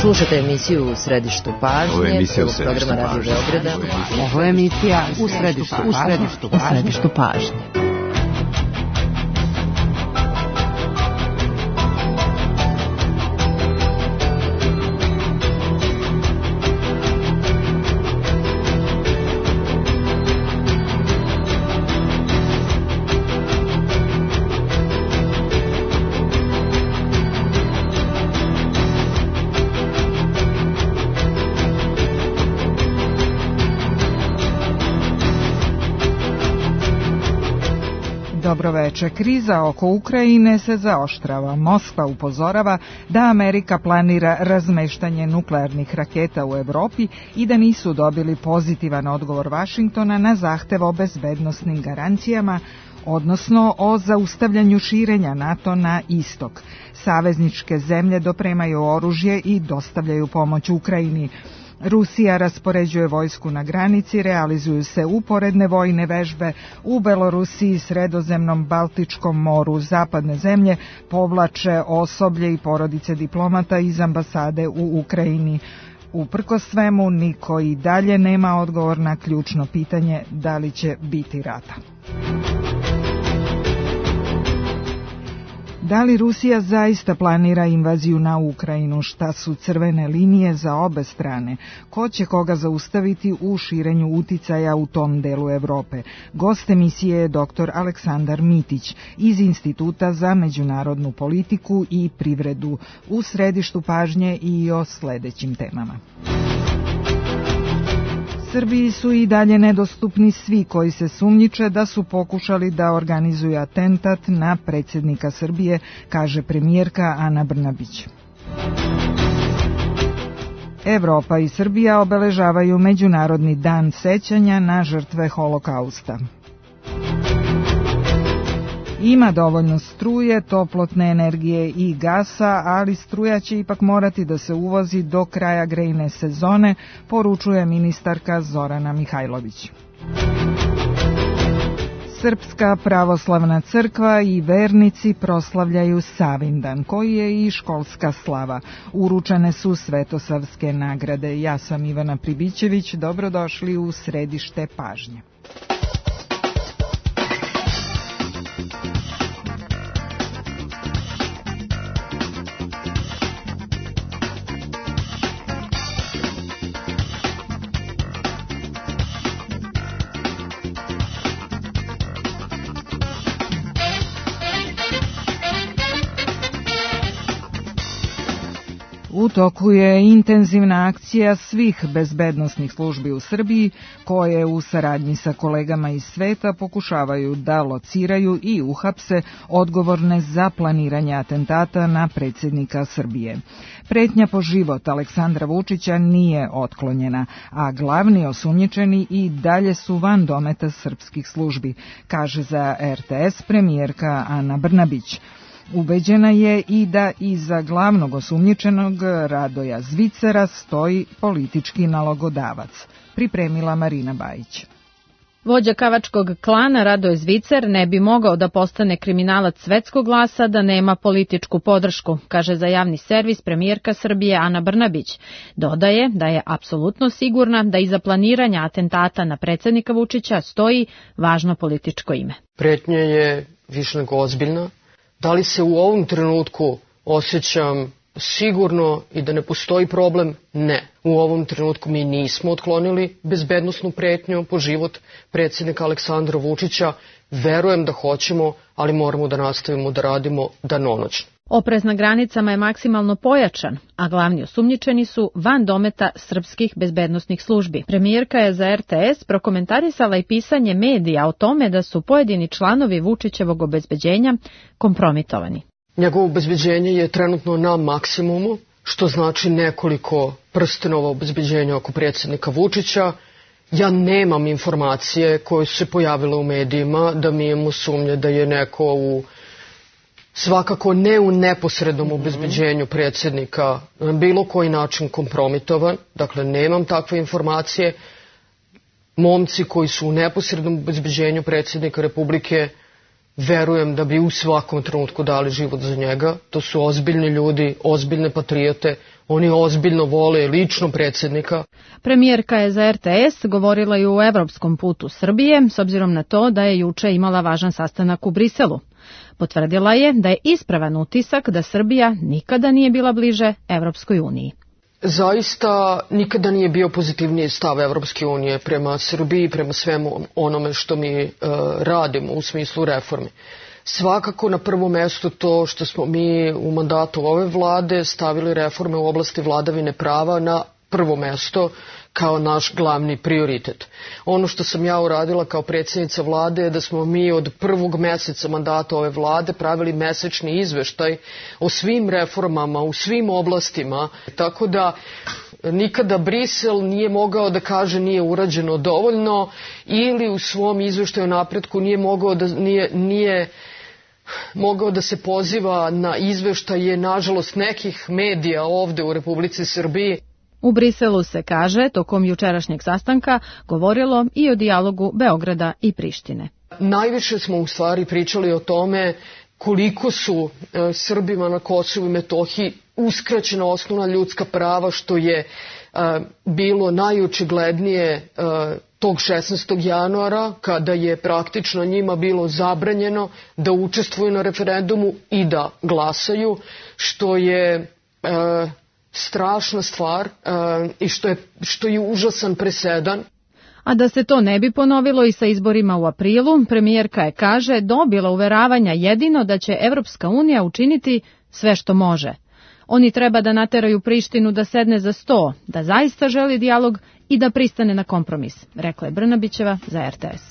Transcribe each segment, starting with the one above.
Slušate emisiju U središtu pažnje. Ovo je emisija U središtu pažnje. Ovo je emisija U središtu pažnje. Dobroveče. Kriza oko Ukrajine se zaoštrava. Moskva upozorava da Amerika planira razmeštanje nuklearnih raketa u Evropi i da nisu dobili pozitivan odgovor Vašingtona na zahtev o bezbednosnim garancijama, odnosno o zaustavljanju širenja NATO na istok. Savezničke zemlje dopremaju oružje i dostavljaju pomoć Ukrajini. Rusija raspoređuje vojsku na granici, realizuju se uporedne vojne vežbe u Belorusiji, Sredozemnom, Baltičkom moru. Zapadne zemlje povlače osoblje i porodice diplomata iz ambasade u Ukrajini. Uprkos svemu, niko i dalje nema odgovor na ključno pitanje da li će biti rata. Da li Rusija zaista planira invaziju na Ukrajinu? Šta su crvene linije za obe strane? Ko će koga zaustaviti u širenju uticaja u tom delu Evrope? Gost emisije je dr. Aleksandar Mitić iz Instituta za međunarodnu politiku i privredu. U središtu pažnje i o sledećim temama. Srbiji su i dalje nedostupni svi koji se sumnjiče da su pokušali da organizuju atentat na predsjednika Srbije, kaže premijerka Ana Brnabić. Evropa i Srbija obeležavaju Međunarodni dan sećanja na žrtve Holokausta. Ima dovoljno struje, toplotne energije i gasa, ali struja će ipak morati da se uvozi do kraja grejne sezone, poručuje ministarka Zorana Mihajlović. Srpska pravoslavna crkva i vernici proslavljaju Savindan, koji je i školska slava. Uručene su svetosavske nagrade. Ja sam Ivana Pribićević, dobrodošli u središte pažnje. U toku je intenzivna akcija svih bezbednosnih službi u Srbiji, koje u saradnji sa kolegama iz sveta pokušavaju da lociraju i uhapse odgovorne za planiranje atentata na predsjednika Srbije. Pretnja po život Aleksandra Vučića nije otklonjena, a glavni osumnjičeni i dalje su van dometa srpskih službi, kaže za RTS premijerka Ana Brnabić. Ubeđena je i da iza glavnog osumnjičenog Radoja Zvicera stoji politički nalogodavac, pripremila Marina Bajić. Vođa kavačkog klana Radoje Zvicer ne bi mogao da postane kriminalac svetskog glasa da nema političku podršku, kaže za javni servis premijerka Srbije Ana Brnabić. Dodaje da je apsolutno sigurna da iza planiranja atentata na predsjednika Vučića stoji važno političko ime. Pretnja je više nego ozbiljna. Da li se u ovom trenutku osjećam sigurno i da ne postoji problem? Ne. U ovom trenutku mi nismo otklonili bezbednosnu pretnju po život predsjednika Aleksandra Vučića. Verujem da hoćemo, ali moramo da nastavimo da radimo danonoćno. Oprez na granicama je maksimalno pojačan, a glavni osumnjičeni su van dometa srpskih bezbednosnih službi. Premijerka je za RTS prokomentarisala i pisanje medija o tome da su pojedini članovi Vučićevog obezbeđenja kompromitovani. Njegovo obezbeđenje je trenutno na maksimumu, što znači nekoliko prstenova obezbeđenja oko predsjednika Vučića. Ja nemam informacije koje su se pojavile u medijima da mi imamo sumnje da je neko svakako ne u neposrednom obezbeđenju predsjednika na bilo koji način kompromitovan. Dakle, nemam takve informacije. Momci koji su u neposrednom obezbeđenju predsjednika Republike verujem da bi u svakom trenutku dali život za njega. To su ozbiljni ljudi, ozbiljne patriote, oni ozbiljno vole lično predsjednika. Premijerka je za RTS govorila i o evropskom putu Srbije, s obzirom na to da je juče imala važan sastanak u Briselu. Potvrdila je da je ispravan utisak da Srbija nikada nije bila bliže Evropskoj uniji. Zaista nikada nije bio pozitivniji stav Evropske unije prema Srbiji, prema svemu onome što mi radimo u smislu reformi. Svakako na prvo mesto to što smo mi u mandatu ove vlade stavili reforme u oblasti vladavine prava na prvo mesto kao naš glavni prioritet. Ono što sam ja uradila kao predsjednica vlade je da smo mi od prvog meseca mandata ove vlade pravili mesečni izveštaj o svim reformama u svim oblastima, tako da nikada Brisel nije mogao da kaže nije urađeno dovoljno ili u svom izveštaju o napretku nije mogao da se poziva na izveštaje, nažalost, nekih medija ovde u Republici Srbiji. U Briselu se, kaže, tokom jučerašnjeg sastanka govorilo i o dijalogu Beograda i Prištine. Najviše smo u stvari pričali o tome koliko su Srbima na Kosovu i Metohiji uskraćena osnovna ljudska prava, što je bilo najočiglednije tog 16. januara, kada je praktično njima bilo zabranjeno da učestvuju na referendumu i da glasaju, što je strašna stvar i što je užasan presedan. A da se to ne bi ponovilo i sa izborima u aprilu, premijerka je, kaže, dobila uveravanja jedino da će Evropska unija učiniti sve što može. Oni treba da nateraju Prištinu da sedne za sto, da zaista želi dijalog i da pristane na kompromis, rekla je Brnabićeva za RTS.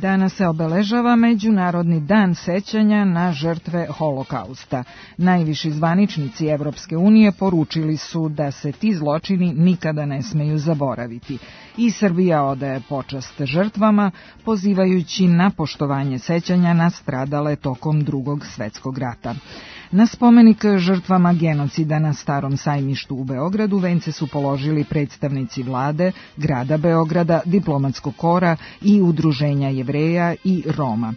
Danas se obeležava Međunarodni dan sećanja na žrtve Holokausta. Najviši zvaničnici Evropske unije poručili su da se ti zločini nikada ne smeju zaboraviti. I Srbija odaje počast žrtvama, pozivajući na poštovanje sećanja na stradale tokom Drugog svetskog rata. Na spomenik žrtvama genocida na Starom sajmištu u Beogradu vence su položili predstavnici vlade, grada Beograda, diplomatskog kora i udruženja Jevreja i Roma.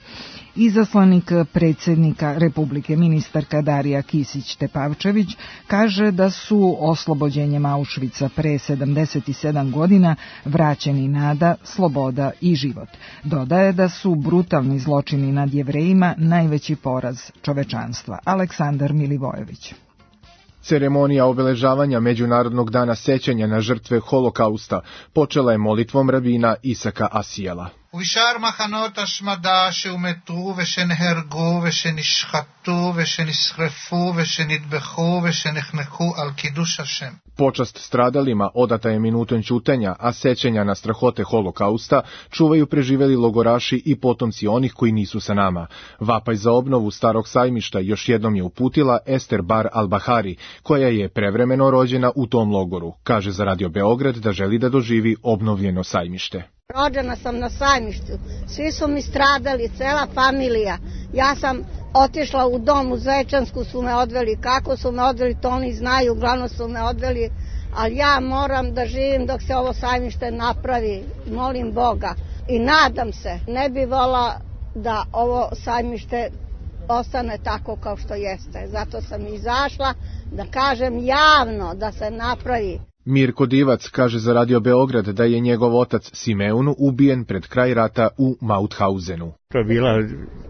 Izaslanik predsjednika Republike, ministarka Darija Kisić-Tepavčević, kaže da su oslobođenjem Auschwitza pre 77 godina vraćeni nada, sloboda i život. Dodaje da su brutalni zločini nad Jevrejima najveći poraz čovečanstva. Aleksandar Milivojević. Ceremonija obeležavanja Međunarodnog dana sećanja na žrtve Holokausta počela je molitvom rabina Isaka Asijela. ובשאר מחנות השמדה שהומתו ושנהרגו ושנשחטו ושנשרפו ושנטבחו ושנחנקו על קידוש השם. Počast stradalima odata je minutom ćutenja, a sećanja na strahote Holokausta čuvaju preživeli logoraši i potomci onih koji nisu sa nama. Vapaj za obnovu Starog sajmišta još jednom je uputila Ester Bar Al-Bahari, koja je prevremeno rođena u tom logoru. Kaže za Radio Beograd da želi da doživi obnovljeno sajmište. Rođena sam na sajmištu, svi su mi stradali, cela familija. Ja sam otišla u dom u Zvečansku, su me odveli, kako su me odveli, to oni znaju, uglavnom su me odveli, ali ja moram da živim dok se ovo sajmište napravi, molim Boga i nadam se, ne bi volila da ovo sajmište ostane tako kao što jeste, zato sam izašla da kažem javno da se napravi. Mirko Divac kaže za Radio Beograd da je njegov otac Simeon ubijen pred kraj rata u Mauthausenu. To je bila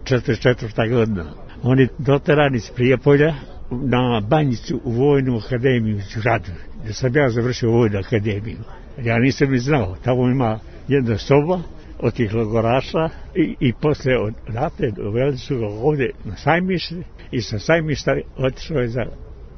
44. godina. On je doteran iz Prijepolja na Banjicu u Vojnu akademiju u Žadru. Da sam ja završio Vojnu akademiju. Ja nisam ni znao. Tamo ima jedna soba od tih logoraša i posle od rate doveli su ga ovde na sajmište i sa sajmišta otišao je za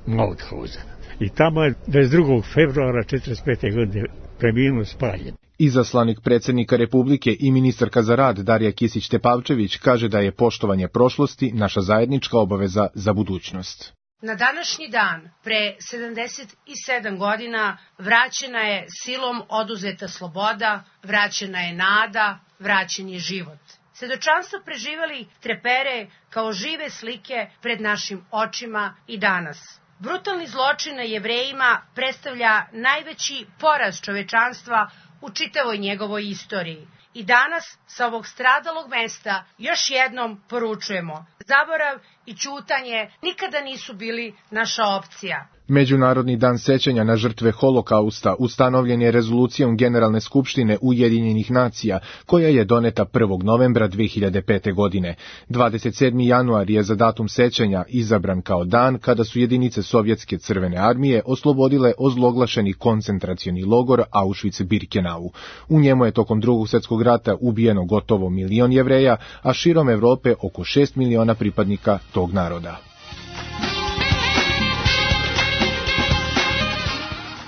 Mauthausen. I tamo je 22. februara 1945. godine preminuo spaljen. Izaslanik predsjednika Republike i ministarka za rad Darija Kisić-Tepavčević kaže da je poštovanje prošlosti naša zajednička obaveza za budućnost. Na današnji dan, pre 77 godina, vraćena je silom oduzeta sloboda, vraćena je nada, vraćen je život. Svedočanstvo preživeli trepere kao žive slike pred našim očima i danas. Brutalni zločin na Jevrejima predstavlja najveći poraz čovečanstva u čitavoj njegovoj istoriji. I danas sa ovog stradalog mesta još jednom poručujemo: zaborav i ćutanje nikada nisu bili naša opcija. Međunarodni dan sećanja na žrtve Holokausta ustanovljen je rezolucijom Generalne skupštine Ujedinjenih nacija, koja je doneta 1. novembra 2005. godine. 27. januar je za datum sećanja izabran kao dan kada su jedinice Sovjetske crvene armije oslobodile ozloglašeni koncentracioni logor Auschwitz-Birkenau. U njemu je tokom Drugog svjetskog rata ubijeno gotovo 1 milion Jevreja, a širom Evrope oko 6 miliona pripadnika tog naroda.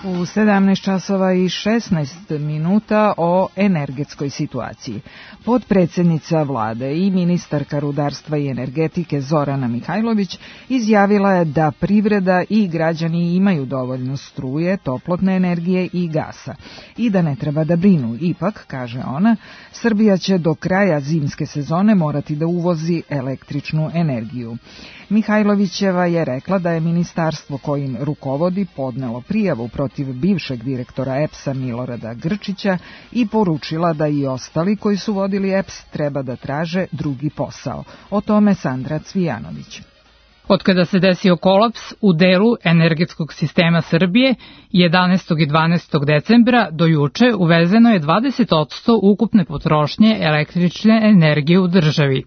U 17 časova i 16 minuta o energetskoj situaciji. Potpredsjednica vlade i ministarka rudarstva i energetike Zorana Mihajlović izjavila je da privreda i građani imaju dovoljno struje, toplotne energije i gasa i da ne treba da brinu. Ipak, kaže ona, Srbija će do kraja zimske sezone morati da uvozi električnu energiju. Mihajlovićeva je rekla da je ministarstvo kojim rukovodi podnelo prijavu protiv bivšeg direktora EPS-a Milorada Grčića i poručila da i ostali koji su vodili EPS treba da traže drugi posao. O tome Sandra Cvijanović. Otkada se desio kolaps u delu energetskog sistema Srbije, 11. i 12. decembra do juče uvezeno je 20% ukupne potrošnje električne energije u državi.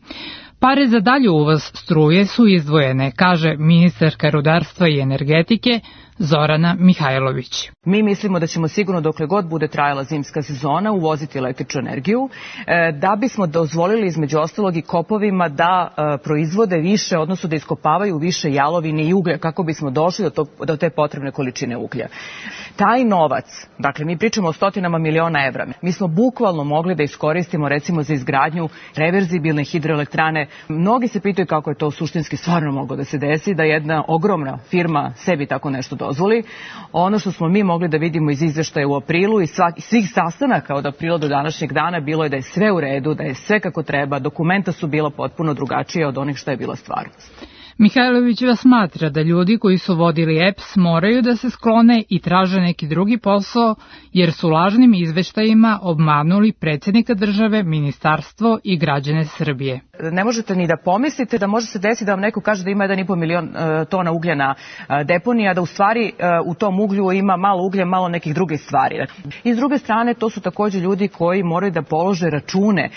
Pare za dalje uvoz struje su izdvojene, kaže ministarka rudarstva i energetike Zorana Mihajlović. Mi mislimo da ćemo sigurno dokle god bude trajala zimska sezona uvoziti električnu energiju, da bismo dozvolili između ostalog i kopovima da proizvode više, odnosno da iskopavaju više jalovine i uglja kako bismo došli do te potrebne količine uglja. Taj novac, dakle mi pričamo o stotinama miliona evra, mi smo bukvalno mogli da iskoristimo recimo za izgradnju reverzibilne hidroelektrane. Mnogi se pitaju kako je to suštinski stvarno moglo da se desi, da jedna ogromna firma sebi tako nešto dozvoli. Ono što smo mi mogli da vidimo iz izveštaja u aprilu i svih sastanaka od aprila do današnjeg dana bilo je da je sve u redu, da je sve kako treba, dokumenta su bila potpuno drugačija od onih što je bila stvarnost. Mihajlovićeva smatra da ljudi koji su vodili EPS moraju da se sklone i traže neki drugi posao, jer su lažnim izveštajima obmanuli predsjednika države, ministarstvo i građane Srbije. Ne možete ni da pomislite da može se desiti da vam neko kaže da ima 1,5 milion tona uglja na deponiji, a da u stvari u tom uglju ima malo uglja, malo nekih drugih stvari. I s druge strane, to su također ljudi koji moraju da polože račune.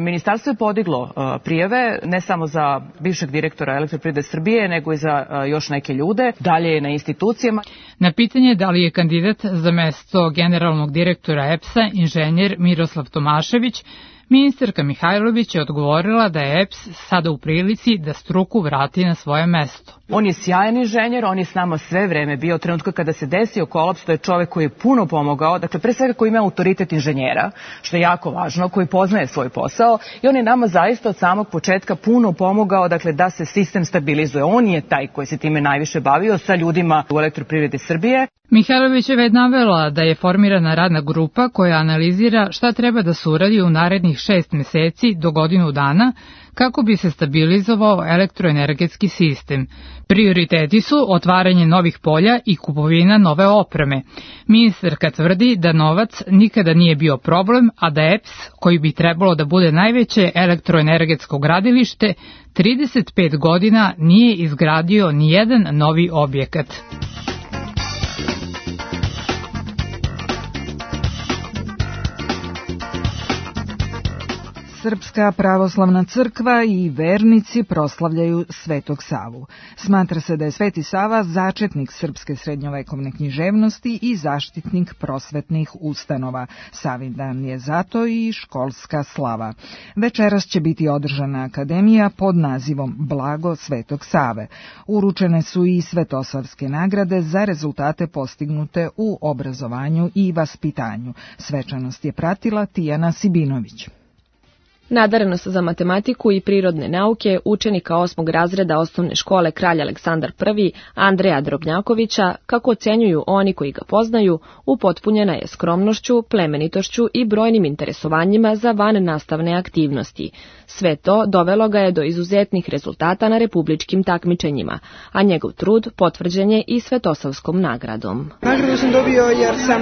Ministarstvo je podiglo prijave, ne samo za bivšeg direktora Elektroprivrede Srbije, nego i za još neke ljude. Dalje je na institucijama. Na pitanje da li je kandidat za mesto generalnog direktora EPS-a inženjer Miroslav Tomašević, ministarka Mihajlović je odgovorila da je EPS sada u prilici da struku vrati na svoje mesto. On je sjajan inženjer, on je s nama sve vreme bio. Trenutka kada se desio kolaps, to je čovek koji je puno pomogao, dakle pre svega koji ima autoritet inženjera, što je jako važno, koji poznaje svoj posao i on je nama zaista od samog početka puno pomogao, dakle da se sistem stabilizuje. On je taj koji se time najviše bavio sa ljudima u Elektroprivredi Srbije. Mihajlovićeva je navela da je formirana radna grupa koja analizira šta treba da se uradi u narednih 6 meseci do godinu dana kako bi se stabilizovao elektroenergetski sistem. Prioriteti su otvaranje novih polja i kupovina nove opreme. Ministarka tvrdi da novac nikada nije bio problem, a da EPS, koji bi trebalo da bude najveće elektroenergetsko gradilište, 35 godina nije izgradio ni jedan novi objekat. Srpska pravoslavna crkva i vernici proslavljaju Svetog Savu. Smatra se da je Sveti Sava začetnik srpske srednjovekovne književnosti i zaštitnik prosvetnih ustanova. Savin dan je zato i školska slava. Večeras će biti održana akademija pod nazivom Blago Svetog Save. Uručene su i svetosavske nagrade za rezultate postignute u obrazovanju i vaspitanju. Svečanost je pratila Tijana Sibinović. Nadarenost za matematiku i prirodne nauke učenika 8. razreda osnovne škole Kralj Aleksandar I, Andreja Drobnjakovića, kako ocenjuju oni koji ga poznaju, upotpunjena je skromnošću, plemenitošću i brojnim interesovanjima za vannastavne aktivnosti. Sve to dovelo ga je do izuzetnih rezultata na republičkim takmičenjima, a njegov trud potvrđen je i Svetosavskom nagradom. Nagradu sam dobio jer sam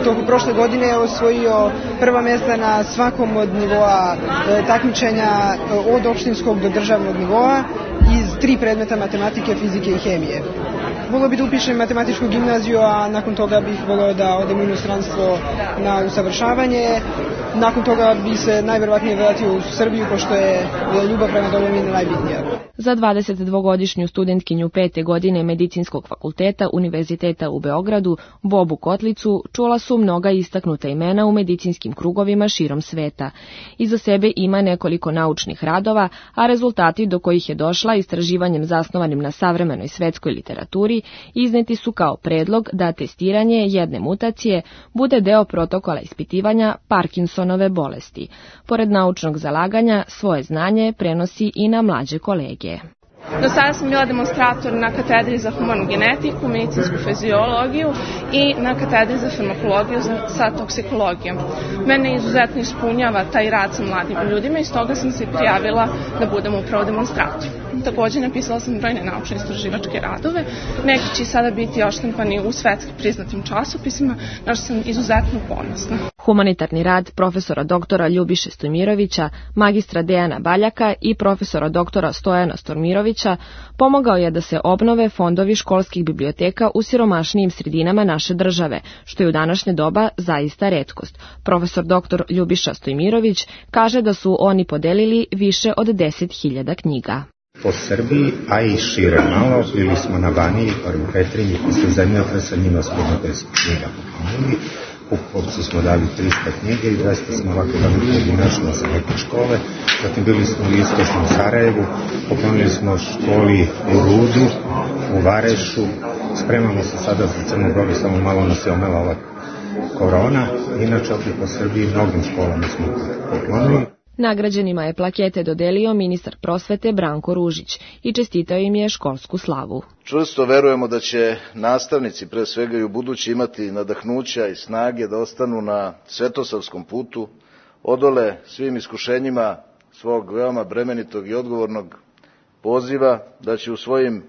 tokom prošle godine osvojio prva mjesta na svakom od nivoa takmičenja od opštinskog do državnog nivoa iz 3 predmeta matematike, fizike i hemije. Volio bi da upišem matematičku gimnaziju, a nakon toga bih volio da odem u inostranstvo na usavršavanje. Nakon toga bi se najverovatnije vratio u Srbiju, pošto je ljubav prema domovini najbitnija. Za 22-godišnju studentkinju 5. godine Medicinskog fakulteta Univerziteta u Beogradu, Bobu Kotlicu, čula su mnoga istaknuta imena u medicinskim krugovima širom sveta. Iza sebe ima nekoliko naučnih radova, a rezultati do kojih je došla istraživanjem zasnovanim na savremenoj svetskoj literaturi izneti su kao predlog da testiranje jedne mutacije bude deo protokola ispitivanja Parkinsonove bolesti. Pored naučnog zalaganja, svoje znanje prenosi i na mlađe kolege. Do sada sam bila demonstrator na katedri za humanu genetiku, medicinsku fiziologiju i na katedri za farmakologiju sa toksikologijom. Mene izuzetno ispunjava taj rad sa mladim ljudima i stoga sam se prijavila da budem upravo demonstrator. Također napisala sam brojne naučne istraživačke radove, neki će sada biti oštampani u svetski priznatim časopisima, na što sam izuzetno ponosna. Humanitarni rad profesora doktora Ljubiše Stojmirovića, magistra Dejana Baljaka i profesora doktora Stojana Stormirovića pomogao je da se obnove fondovi školskih biblioteka u siromašnijim sredinama naše države, što je u današnje doba zaista retkost. Profesor doktor Ljubiša Stojmirović kaže da su oni podelili više od 10.000 knjiga. Po Srbiji, a i šire malo, bili smo na Baniji, u Petrinji, posle zemljotresa, njima smo 10 knjiga poklonili. Pupovcu smo dali 300 knjige i 200 smo ovako dali pojedinačno za neke škole. Zatim bili smo u istočnom Sarajevu, poklonili smo školi u Rudu, u Varešu. Spremamo se sada za Crnu Goru, samo malo nas je omela ova korona. Inače, opet po Srbiji mnogim školama smo poklonili. Nagrađenima je plakete dodelio ministar prosvete Branko Ružić i čestitao im je školsku slavu. Čvrsto verujemo da će nastavnici pre svega i u budući imati nadahnuća i snage da ostanu na svetosavskom putu, odole svim iskušenjima svog veoma bremenitog i odgovornog poziva, da će u svojim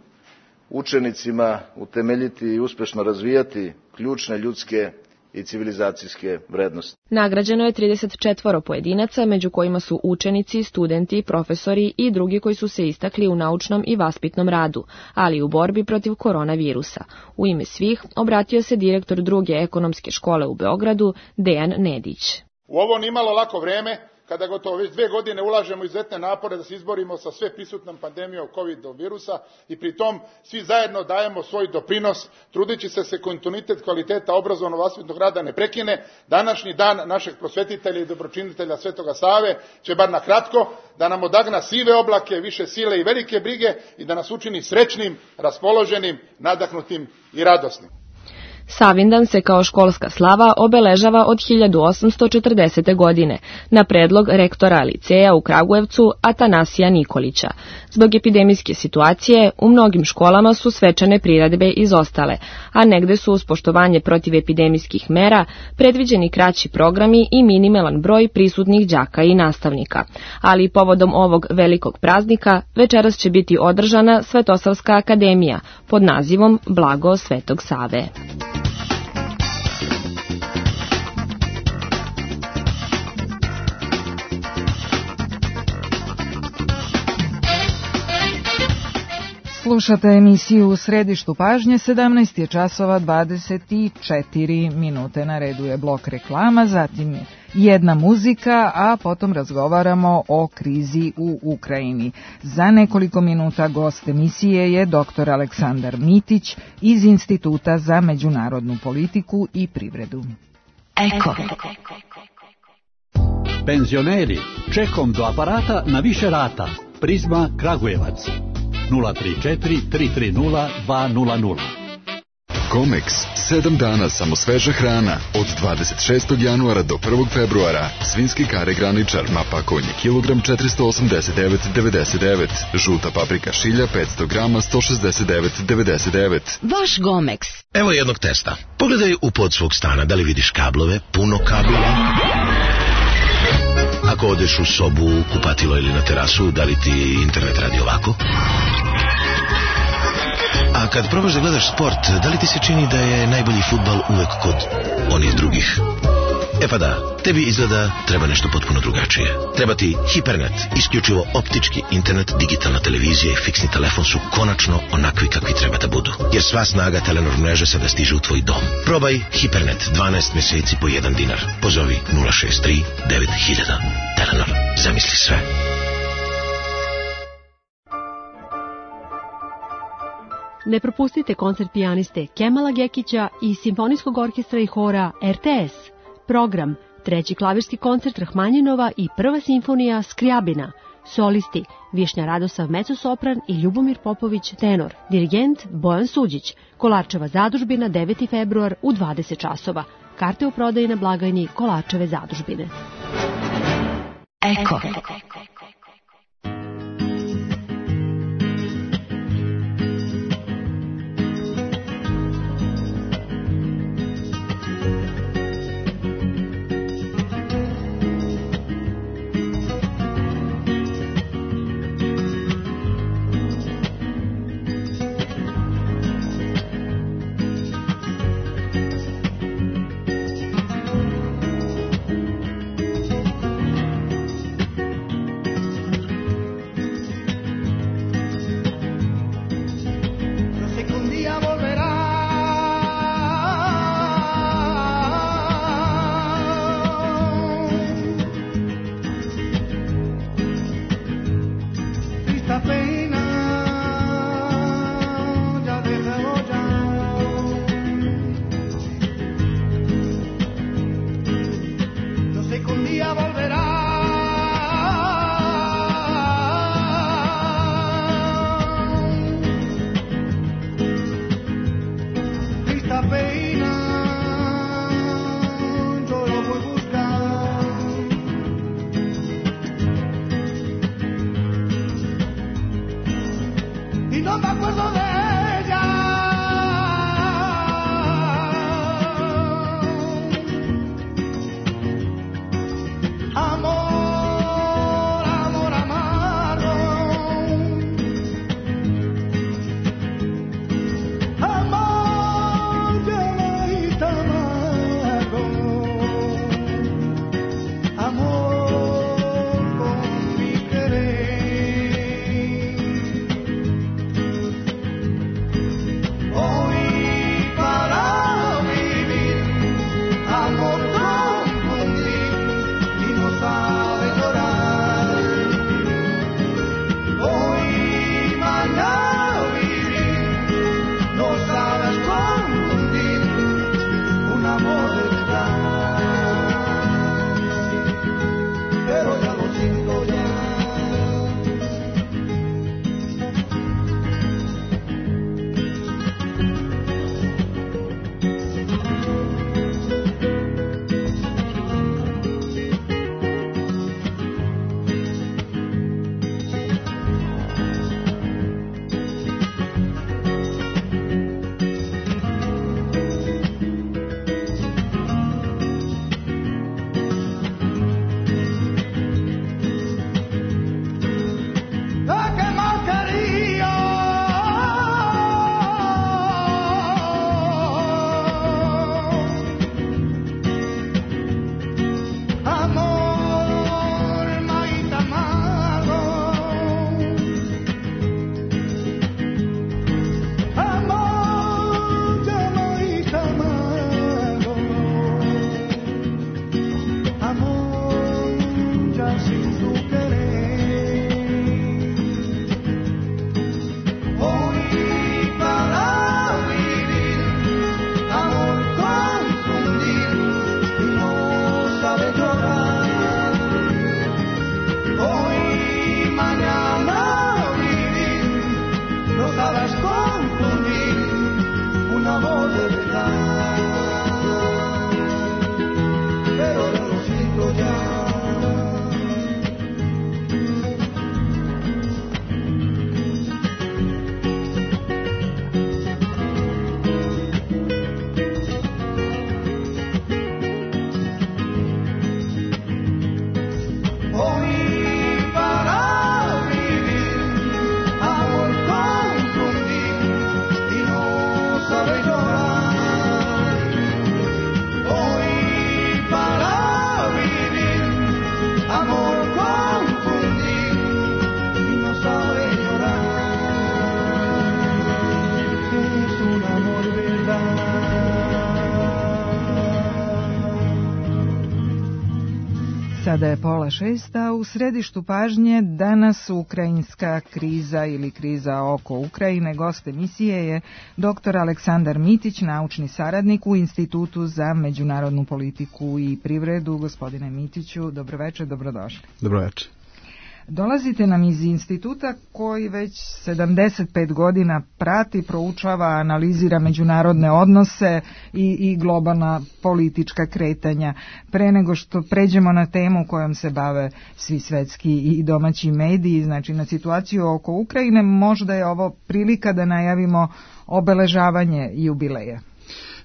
učenicima utemeljiti i uspešno razvijati ključne ljudske i civilizacijske vrednosti. Nagrađeno je 34 pojedinaca, među kojima su učenici, studenti, profesori i drugi koji su se istakli u naučnom i vaspitnom radu, ali i u borbi protiv koronavirusa. U ime svih obratio se direktor druge ekonomske škole u Beogradu, Dejan Nedić. U ovo nimalo lako vreme, kada gotovo već 2 godine ulažemo izuzetne napore da se izborimo sa sve prisutnom pandemijom COVID virusa i pri tom svi zajedno dajemo svoj doprinos, trudeći se kontinuitet kvaliteta obrazovno-vaspitnog rada ne prekine. Današnji dan našeg prosvetitelja i dobročinitelja Svetoga Save će bar na kratko da nam odagna sive oblake, više sile i velike brige i da nas učini srećnim, raspoloženim, nadahnutim i radosnim. Savindan se kao školska slava obeležava od 1840. godine na predlog rektora liceja u Kragujevcu Atanasija Nikolića. Zbog epidemijske situacije u mnogim školama su svečane priredbe izostale, a negde su uz poštovanje protiv epidemijskih mera predviđeni kraći programi i minimalan broj prisutnih đaka i nastavnika. Ali povodom ovog velikog praznika večeras će biti održana Svetosavska akademija pod nazivom Blago Svetog Save. Slušate emisiju U središtu pažnje, 17 je časova 24 minute. Na redu je blok reklama, zatim jedna muzika, a potom razgovaramo o krizi u Ukrajini. Za nekoliko minuta gost emisije je dr. Aleksandar Mitić iz Instituta za međunarodnu politiku i privredu. Eko. Penzioneri, čekom do aparata na više rata. Prizma Kragujevac. 034 330 200. Comex, 7 dana samo sveža hrana. Od 26. januara do 1. februara. Svinjski kare graničar, mapa konje, kilogram 489,99. Žuta paprika šilja 500 grama 169,99. Vaš Gomex. Evo jednog testa. Pogledaj u pod svog stana, da li vidiš kablove, puno kablova. Ako odeš u sobu, kupatilo ili na terasu, da li ti internet radi ovako? A kad probaš da gledaš sport, da li ti se čini da je najbolji fudbal uvek kod onih drugih? E pa da, tebi izgleda treba nešto potpuno drugačije. Treba ti Hipernet, isključivo optički internet, digitalna televizija i fiksni telefon su konačno onakvi kakvi treba da budu. Jer sva snaga Telenor mreže sada stiže u tvoj dom. Probaj Hipernet, 12 meseci po $1. Pozovi 063 9000. Telenor, zamisli sve. Ne propustite koncert pijaniste Kemala Gekića i Simfonijskog orkestra i hora RTS. Program, 3. klavirski koncert Rahmanjinova i 1. simfonija Skrijabina. Solisti, Višnja Radosav mezosopran i Ljubomir Popović tenor. Dirigent Bojan Suđić. Kolarčeva zadužbina 9. februar u 20 časova. Karte u prodaji na blagajni Kolarčeve zadužbine. Eko. Sada je 5:30, a u središtu pažnje danas ukrajinska kriza ili kriza oko Ukrajine. Gost emisije je dr. Aleksandar Mitić, naučni saradnik u Institutu za međunarodnu politiku i privredu. Gospodine Mitiću, dobroveče, dobrodošli. Dobroveče. Dolazite nam iz instituta koji već 75 godina prati, proučava, analizira međunarodne odnose i globalna politička kretanja. Pre nego što pređemo na temu kojom se bave svi svetski i domaći mediji, znači na situaciju oko Ukrajine, možda je ovo prilika da najavimo obeležavanje jubileja.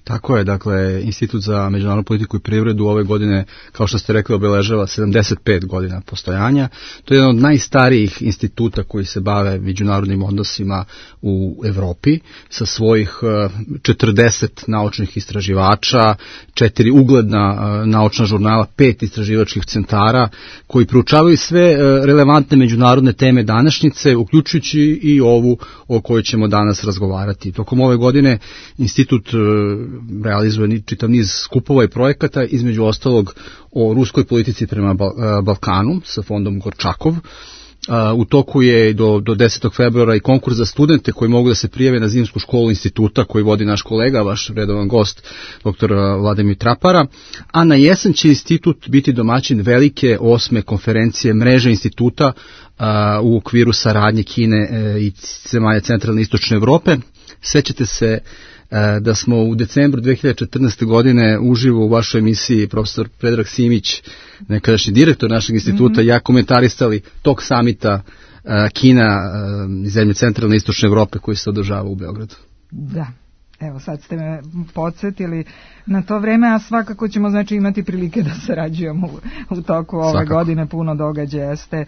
Tako je, dakle, Institut za međunarodnu politiku i privredu ove godine, kao što ste rekli, obeležava 75 godina postojanja. To je jedan od najstarijih instituta koji se bave međunarodnim odnosima u Evropi, sa svojih 40 naučnih istraživača, 4 ugledna naučna žurnala, 5 istraživačkih centara, koji proučavaju sve relevantne međunarodne teme današnjice, uključujući i ovu o kojoj ćemo danas razgovarati. Tokom ove godine Institut realizuje čitav niz skupova i projekata, između ostalog o ruskoj politici prema Balkanu sa fondom Gorčakov. U toku je do 10. februara i konkurs za studente koji mogu da se prijave na zimsku školu instituta koji vodi naš kolega, vaš redovan gost, dr. Vladimir Trapara, a na jesen će institut biti domaćin velike 8. konferencije mreže instituta u okviru saradnje Kine i zemalja centralne i istočne Evrope. Sećate se da smo u decembru 2014. godine uživo u vašoj emisiji profesor Predrag Simić, nekadašnji direktor našeg instituta, ja komentarisali tog samita Kina i zemlje centralne i istočne Evrope koji se održava u Beogradu. Da. Evo, sad ste me podsjetili na to vreme, a svakako ćemo znači imati prilike da sarađujemo u toku ove godine, puno događaja ste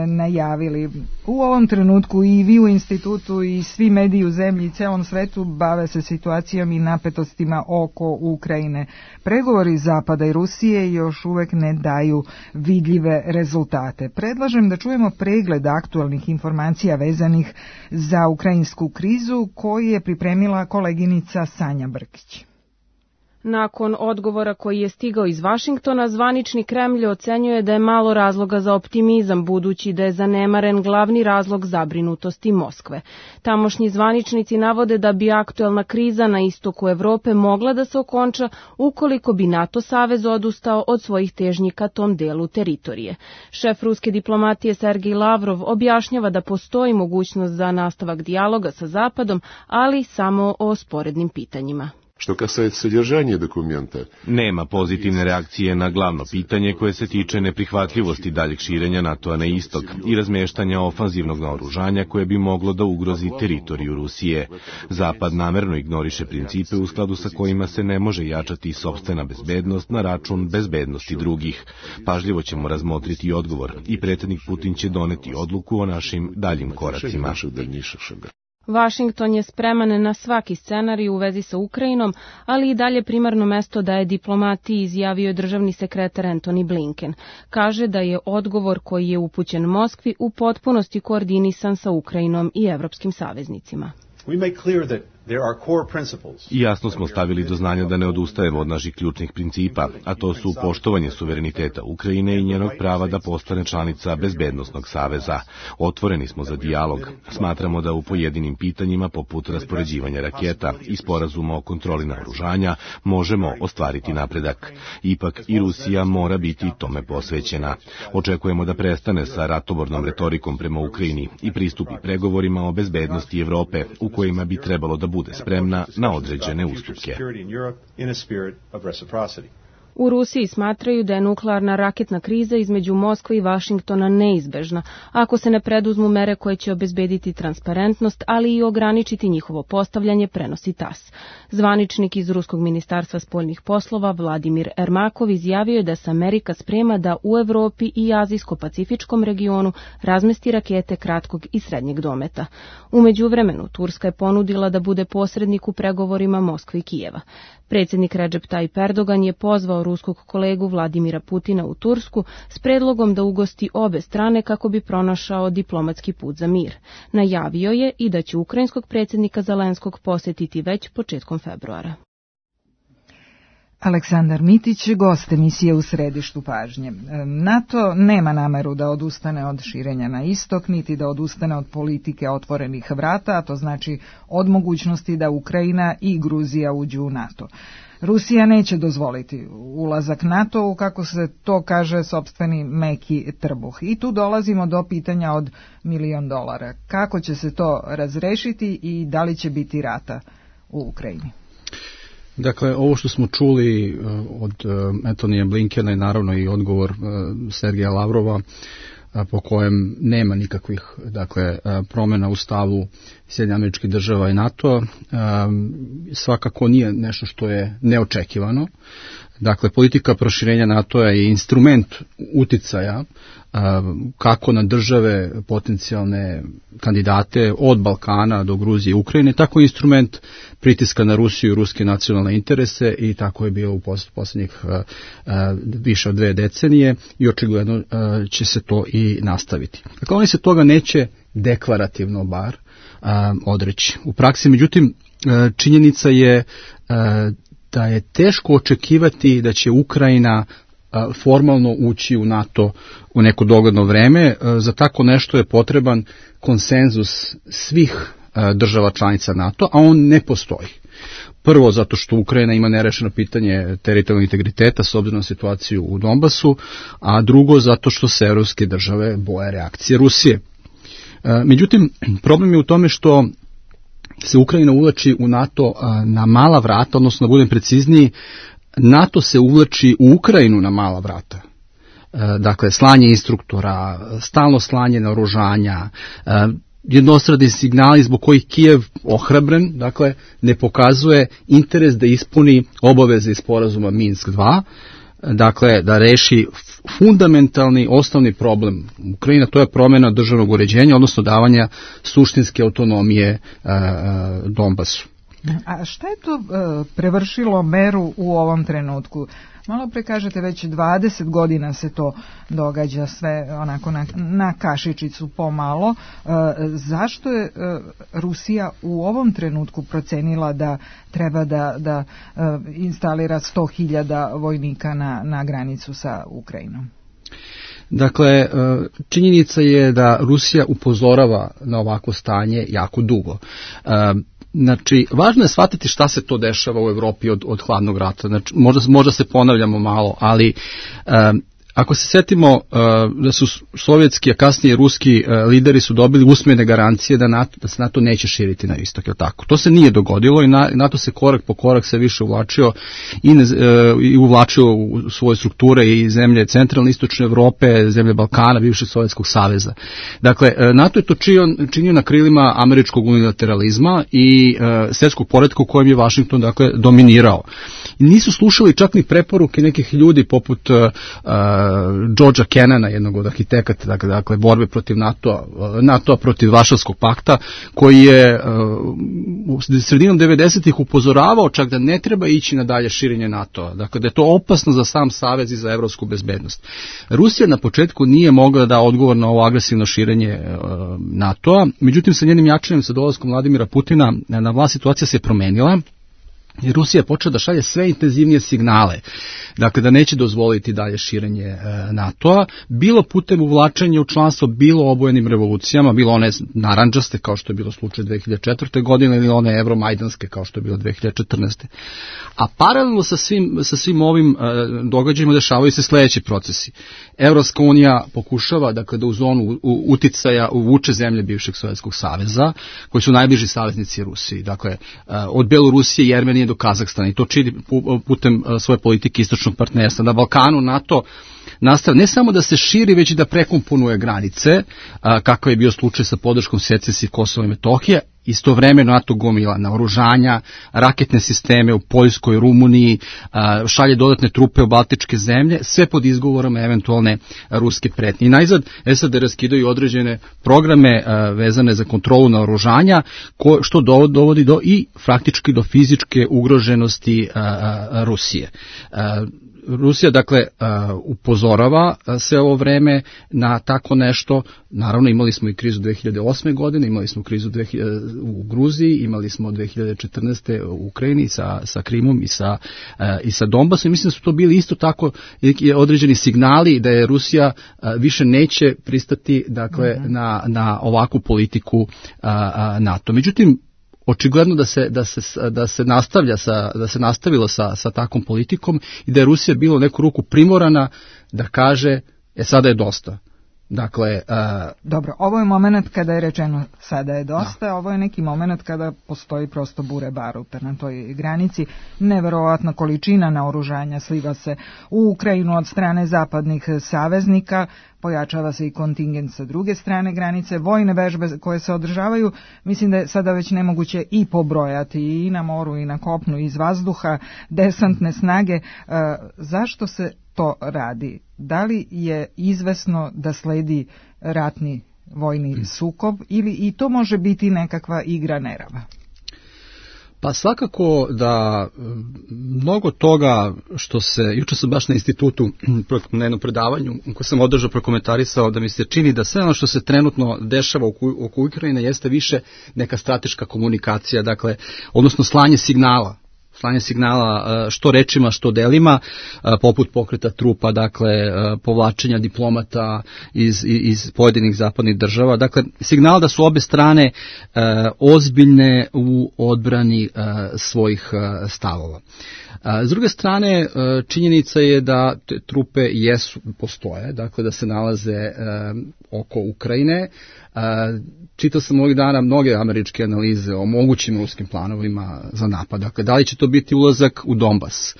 najavili. U ovom trenutku i vi u institutu i svi mediji u zemlji i celom svetu bave se situacijom i napetostima oko Ukrajine. Pregovori Zapada i Rusije još uvek ne daju vidljive rezultate. Predlažem da čujemo pregled aktualnih informacija vezanih za ukrajinsku krizu koji je pripremila koleginica Sanja Brkić. Nakon odgovora koji je stigao iz Vašingtona, zvanični Kremlj ocenjuje da je malo razloga za optimizam, budući da je zanemaren glavni razlog zabrinutosti Moskve. Tamošnji zvaničnici navode da bi aktuelna kriza na istoku Evrope mogla da se okonča ukoliko bi NATO savez odustao od svojih težnji ka tom delu teritorije. Šef ruske diplomatije Sergej Lavrov objašnjava da postoji mogućnost za nastavak dijaloga sa Zapadom, ali samo o sporednim pitanjima. Što касается содержания документа, nema pozitivne reakcije na glavno pitanje koje se tiče neprihvatljivosti daljeg širenja NATO-a na istok i razmeštanja ofanzivnog naoružanja koje bi moglo da ugrozi teritoriju Rusije. Zapad namerno ignoriše principe u skladu sa kojima se ne može jačati sopstvena bezbednost na račun bezbednosti drugih. Pažljivo ćemo razmotriti odgovor i predsjednik Putin će doneti odluku o našim daljim koracima. Vašington je spreman na svaki scenarij u vezi sa Ukrajinom, ali i dalje primarno mesto daje diplomati, izjavio je državni sekretar Antony Blinken. Kaže da je odgovor koji je upućen Moskvi u potpunosti koordinisan sa Ukrajinom i evropskim saveznicima. Jasno smo stavili do znanja da ne odustajemo od naših ključnih principa, a to su poštovanje suvereniteta Ukrajine i njenog prava da postane članica bezbednosnog saveza. Otvoreni smo za dijalog. Smatramo da u pojedinim pitanjima, poput raspoređivanja raketa i sporazuma o kontroli naoružanja, možemo ostvariti napredak. Ipak i Rusija mora biti tome posvećena. Očekujemo da prestane sa ratobornom retorikom prema Ukrajini i pristupi pregovorima o bezbednosti Evrope, u kojima bi trebalo da bude spremna na određene ustupke. U Rusiji smatraju da je nuklearna raketna kriza između Moskve i Vašingtona neizbežna, ako se ne preduzmu mere koje će obezbediti transparentnost, ali i ograničiti njihovo postavljanje, prenosi TASS. Zvaničnik iz Ruskog ministarstva spoljnih poslova Vladimir Ermakov izjavio je da se Amerika sprema da u Evropi i Azijsko-Pacifičkom regionu razmesti rakete kratkog i srednjeg dometa. U međuvremenu, Turska je ponudila da bude posrednik u pregovorima Moskve i Kijeva. Predsjednik Recep Tayyip Erdogan je pozvao ruskog kolegu Vladimira Putina u Tursku s predlogom da ugosti obe strane kako bi pronašao diplomatski put za mir. Najavio je i da će ukrajinskog predsjednika Zelenskog posjetiti već početkom februara. Aleksandar Mitić, gost emisije U središtu pažnje. NATO nema nameru da odustane od širenja na istok, niti da odustane od politike otvorenih vrata, a to znači od mogućnosti da Ukrajina i Gruzija uđu u NATO. Rusija neće dozvoliti ulazak NATO-u, kako se to kaže, sopstveni meki trbuh. I tu dolazimo do pitanja od $1.000.000. Kako će se to razrešiti i da li će biti rata u Ukrajini? Dakle, ovo što smo čuli od Antonija Blinkena i naravno i odgovor Sergeja Lavrova, po kojem nema nikakvih promjena u stavu Sjedinjenih Američkih Država i NATO, svakako nije nešto što je neočekivano. Dakle, politika proširenja NATO-a je instrument uticaja kako na države potencijalne kandidate od Balkana do Gruzije i Ukrajine, tako i instrument pritiska na Rusiju i ruske nacionalne interese, i tako je bilo u posljednjih više od 2 decenije i očigledno će se to i nastaviti. Dakle, oni se toga neće deklarativno bar odreći. U praksi, međutim, činjenica je da je teško očekivati da će Ukrajina formalno ući u NATO u neko dogledno vreme. Za tako nešto je potreban konsenzus svih država članica NATO, a on ne postoji. Prvo, zato što Ukrajina ima nerešeno pitanje teritorijalnog integriteta s obzirom na situaciju u Donbasu, a drugo, zato što se evropske države boje reakcije Rusije. Međutim, problem je u tome što se Ukrajina uvlači u NATO na mala vrata, odnosno da budem precizniji, NATO se uvlači u Ukrajinu na mala vrata. Dakle, slanje instruktora, stalno slanje naoružanja, jednostradni signali zbog kojih Kijev ohrabren, dakle, ne pokazuje interes da ispuni obaveze iz sporazuma Minsk 2, dakle, da reši fundamentalni osnovni problem Ukrajina, to je promjena državnog uređenja, odnosno davanja suštinske autonomije Donbasu. A šta je to prevršilo meru u ovom trenutku? Malo pre kažete, već 20 godina se to događa, sve onako na kašičicu pomalo. Zašto je Rusija u ovom trenutku procenila da treba da instalira 100.000 vojnika na granicu sa Ukrajinom? Dakle, činjenica je da Rusija upozorava na ovako stanje jako dugo. Znači, važno je shvatiti šta se to dešava u Evropi od hladnog rata. Znači, možda se ponavljamo malo, ali ako se setimo da su sovjetski, a kasnije ruski lideri su dobili usmene garancije da se NATO neće širiti na istok, je tako? To se nije dogodilo i NATO se korak po korak sve više uvlačio i uvlačio u svoje strukture i zemlje centralne istočne Evrope, zemlje Balkana, bivšeg Sovjetskog saveza. Dakle, NATO je to činio na krilima američkog unilateralizma i svjetskog poretka u kojem je Washington, dakle, dominirao. I nisu slušali čak ni preporuke nekih ljudi poput Georgea Kennana, jednog od arhitekata, dakle borbe protiv NATO-a protiv Varšavskog pakta, koji je sredinom 90-ih upozoravao čak da ne treba ići na dalje širenje NATO-a, dakle da je to opasno za sam savez i za evropsku bezbednost. Rusija na početku nije mogla da odgovor na ovo agresivno širenje NATO-a, međutim sa njenim jačanjem, sa dolaskom Vladimira Putina na vlast, situacija se promenila. I Rusija je počela da šalje sve intenzivnije signale, dakle da neće dozvoliti dalje širenje NATO-a, bilo putem uvlačenja u članstvo, bilo obojenim revolucijama, bilo one narandžaste kao što je bilo slučaj 2004. godine ili one evromajdanske kao što je bilo 2014. A paralelno sa svim ovim događajima dešavaju se sledeći procesi. Evropska unija pokušava, dakle, da u zonu uticaja uvuče zemlje bivšeg Sovjetskog saveza, koji su najbliži saveznici Rusiji, dakle od Belorusije i Jermenije do Kazahstana, i to čini putem svoje politike istočnog partnerstva. Na Balkanu NATO nastavlja ne samo da se širi, već i da prekomponuje granice, kakav je bio slučaj sa podrškom secesiji Kosova i Metohije. Istovremeno NATO gomila naoružanja, raketne sisteme u Poljskoj, Rumuniji, šalje dodatne trupe u baltičke zemlje, sve pod izgovorom eventualne ruske pretnje. I najzad SAD raskidaju određene programe vezane za kontrolu naoružanja, što dovodi do i faktički do fizičke ugroženosti Rusije. Rusija, dakle, upozorava sve ovo vreme na tako nešto. Naravno, imali smo i krizu 2008. godine, imali smo krizu u Gruziji, imali smo 2014. u Ukrajini sa Krimom i sa Donbasom. Mislim da su to bili isto tako određeni signali da je Rusija više neće pristati, dakle, na ovakvu politiku NATO. Međutim, očigledno da se nastavilo sa takvom politikom i da je Rusija bila u neku ruku primorana da kaže sada je dosta. Dakle, dobro, ovo je moment kada je rečeno sada je dosta, ovo je neki moment kada postoji prosto bure baruta na toj granici. Neverovatna količina naoružanja sliva se u Ukrajinu od strane zapadnih saveznika, pojačava se i kontingent sa druge strane granice, vojne vežbe koje se održavaju, mislim da je sada već nemoguće i pobrojati i na moru i na kopnu i iz vazduha, desantne snage. Zašto se to radi? Da li je izvesno da sledi ratni vojni sukob ili i to može biti nekakva igra nerava? Pa svakako da mnogo toga što se, jučer sam baš na institutu na jednom predavanju koje sam održao prokomentarisao da mi se čini da sve ono što se trenutno dešava oko Ukrajine jeste više neka strateška komunikacija, dakle, odnosno slanje signala što rečima, što delima, poput pokreta trupa, dakle, povlačenja diplomata iz pojedinih zapadnih država. Dakle, signal da su obe strane ozbiljne u odbrani svojih stavova. S druge strane, činjenica je da te trupe postoje, dakle da se nalaze oko Ukrajine. Čitao sam ovih dana mnoge američke analize o mogućim ruskim planovima za napad. Dakle, da li će to biti ulazak u Donbas?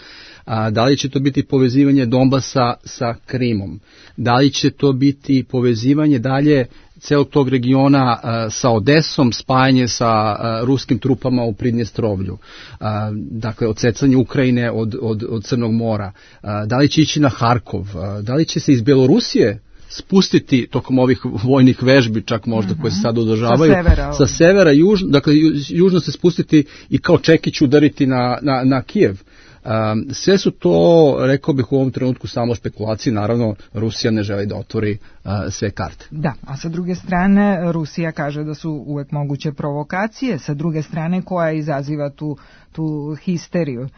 Da li će to biti povezivanje Donbasa sa Krimom? Da li će to biti povezivanje dalje celog tog regiona sa Odesom, spajanje sa ruskim trupama u Pridnjestrovlju, dakle odsecanje Ukrajine od Crnog mora, da li će ići na Harkov, da li će se iz Belorusije spustiti tokom ovih vojnih vežbi, čak možda koje se sad održavaju, sa severa, dakle južno se spustiti i kao čekić udariti na Kijev. Sve su to, rekao bih u ovom trenutku, samo špekulacije. Naravno, Rusija ne želi da otvori sve karte. Da, a sa druge strane Rusija kaže da su uvek moguće provokacije, sa druge strane koja izaziva tu histeriju.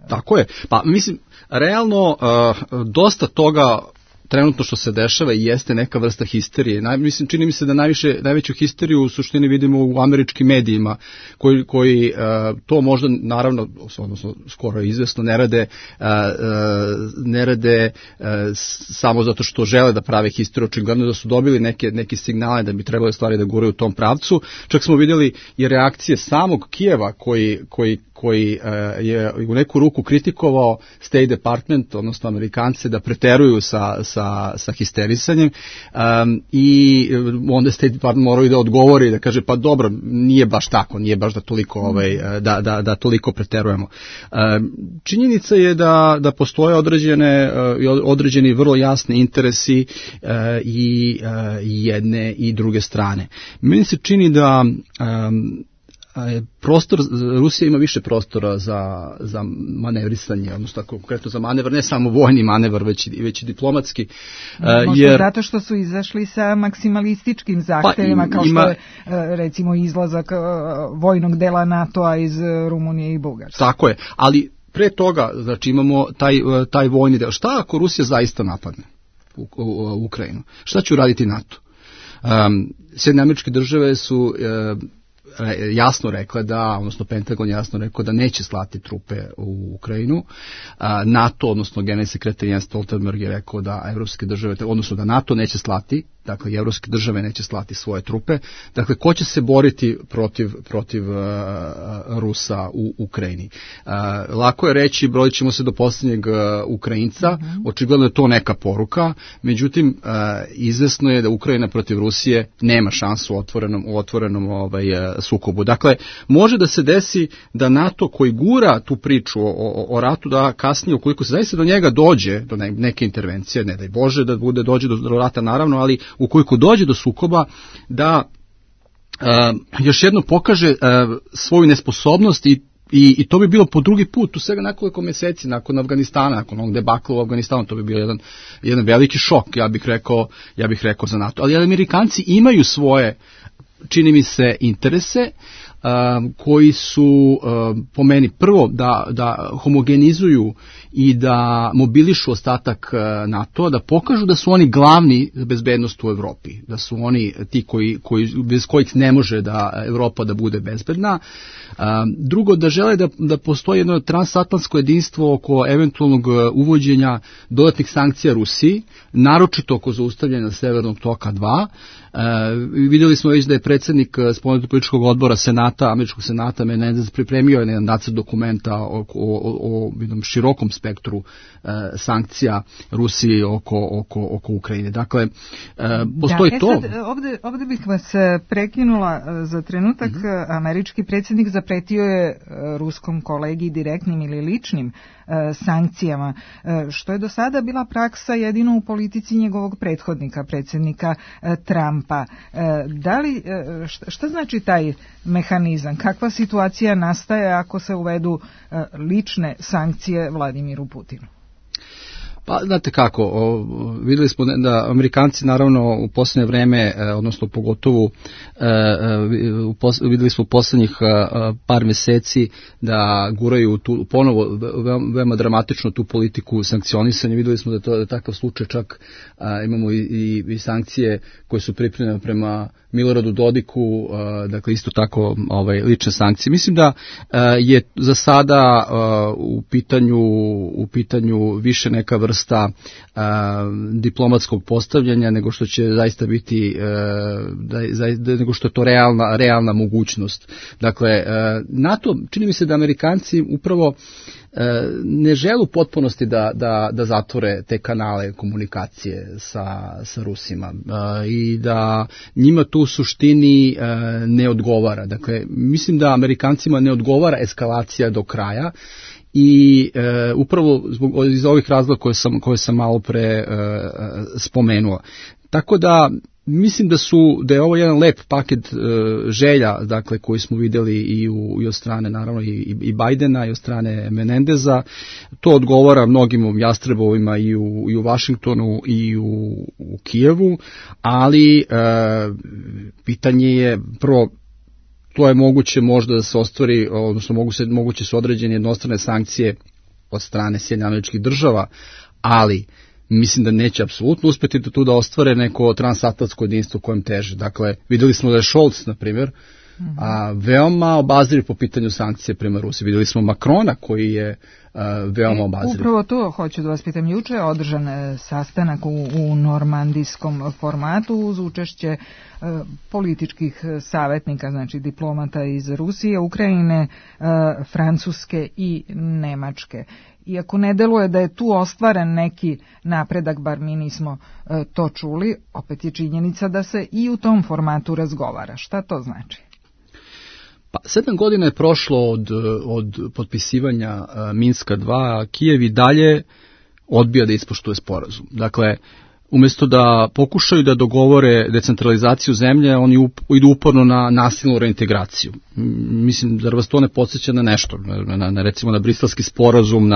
Tako je, pa mislim, realno dosta toga trenutno što se dešava i jeste neka vrsta histerije. Čini mi se da najveću histeriju u suštini vidimo u američkim medijima koji to možda, naravno, odnosno skoro izvesno ne rade samo zato što žele da prave histeriju. Očigledno da su dobili neke signale da bi trebali stvari da guraju u tom pravcu. Čak smo vidjeli i reakcije samog Kijeva koji je u neku ruku kritikovao State Department, odnosno Amerikance, da preteruju sa histerisanjem i onda State Department moraju da odgovori, da kaže pa dobro, nije baš tako, nije baš da toliko da toliko preterujemo. Činjenica je da postoje određeni vrlo jasni interesi i jedne i druge strane. Meni se čini da Rusija ima više prostora za manevrisanje, odnosno konkretno za manevar, ne samo vojni manevar, već i diplomatski. Možda zato što su izašli sa maksimalističkim zahtevima, kao što je recimo izlazak vojnog dela NATO-a iz Rumunije i Bugarske. Tako je, ali pre toga, znači, imamo taj vojni del. Šta ako Rusija zaista napadne u Ukrajinu? Šta će uraditi NATO? Sjedinjene Američke Države su jasno rekla odnosno Pentagon jasno rekao da neće slati trupe u Ukrajinu. NATO, odnosno generalni sekretar Jens Stoltenberg je rekao da evropske države, odnosno da NATO neće slati, dakle i evropske države neće slati svoje trupe. Dakle, ko će se boriti protiv Rusa u Ukrajini? Lako je reći, brojit ćemo se do posljednjeg Ukrajinca, očigledno je to neka poruka, međutim, izvesno je da Ukrajina protiv Rusije nema šansu u otvorenom sukobu. Dakle, može da se desi da NATO koji gura tu priču o ratu, da kasnije, ukoliko se zaista do njega dođe, do neke intervencije, ne daj Bože da dođe do rata naravno, ali ukoliko dođe do sukoba, da još jednom pokaže svoju nesposobnost I to bi bilo po drugi put, u svega nekoliko mjeseci nakon Afganistana, nakon onog debakla u Afganistanu, to bi bio jedan veliki šok, ja bih rekao za NATO. Ali Amerikanci imaju svoje, čini mi se, interese, koji su po meni prvo da homogenizuju i da mobilišu ostatak NATO, da pokažu da su oni glavni za bezbednost u Evropi, da su oni ti bez kojih ne može da Evropa da bude bezbedna. Drugo, da žele da postoji jedno transatlantsko jedinstvo oko eventualnog uvođenja dodatnih sankcija Rusiji, naročito oko zaustavljanja Severnog toka 2. Vidjeli smo već da je predsjednik spomenutog političkog odbora američkog senata Menendez pripremio jedan nacrt dokumenta o jednom širokom spektru sankcija Rusiji oko Ukrajine. Dakle, postoji to. Sad, ovdje bih vas prekinula za trenutak. Američki predsjednik zapretio je ruskom kolegi direktnim ili ličnim sankcijama, što je do sada bila praksa jedino u politici njegovog prethodnika, predsjednika Trumpa. Šta znači taj mehanizam? Kakva situacija nastaje ako se uvedu lične sankcije Vladimiru Putinu? Pa, znate kako, vidjeli smo da Amerikanci naravno u posljednje vreme, odnosno pogotovo vidjeli smo u posljednjih par mjeseci da guraju ponovo veoma dramatično tu politiku sankcionisanja. Vidjeli smo da to je takav slučaj, čak imamo i sankcije koje su pripremljene prema Miloradu Dodiku, dakle isto tako lične sankcije. Mislim da je za sada u pitanju više neka vrsta diplomatskog postavljanja nego što će zaista biti nego što je to realna mogućnost. Dakle, NATO, čini mi se da Amerikanci upravo ne žele u potpunosti da zatvore te kanale komunikacije sa Rusima i da njima tu u suštini ne odgovara. Dakle, mislim da Amerikancima ne odgovara eskalacija do kraja i upravo iz ovih razloga koje sam malo pre spomenuo. Tako da mislim da je ovo jedan lep paket želja, dakle, koji smo vidjeli i od strane naravno i Bajdena i od strane Menendeza. To odgovara mnogim jastrebovima i u Vašingtonu i u Kijevu, ali pitanje je prvo, to je moguće možda da se ostvari, odnosno moguće su određene jednostrane sankcije od strane Sjedinjenih Američkih Država, ali mislim da neće apsolutno uspjeti da ostvare neko transatlantsko jedinstvo kojem teže. Dakle, vidjeli smo da je Scholz, na primjer, veoma obazriv po pitanju sankcije prema Rusiji. Vidjeli smo Macrona koji je veoma obazriv. Upravo to hoću da vas pitam. Juče je održan sastanak u normandijskom formatu uz učešće političkih savjetnika, znači diplomata iz Rusije, Ukrajine, Francuske i Nemačke. Iako ne deluje da je tu ostvaren neki napredak, bar mi nismo to čuli, opet je činjenica da se i u tom formatu razgovara. Šta to znači? Pa 7 godina je prošlo od potpisivanja Minska 2, a Kijev i dalje odbija da ispoštuje sporazum. Dakle, umjesto da pokušaju da dogovore decentralizaciju zemlje, oni idu uporno na nasilnu reintegraciju. Mislim, da vas to ne podsjeća na nešto, recimo na briselski sporazum,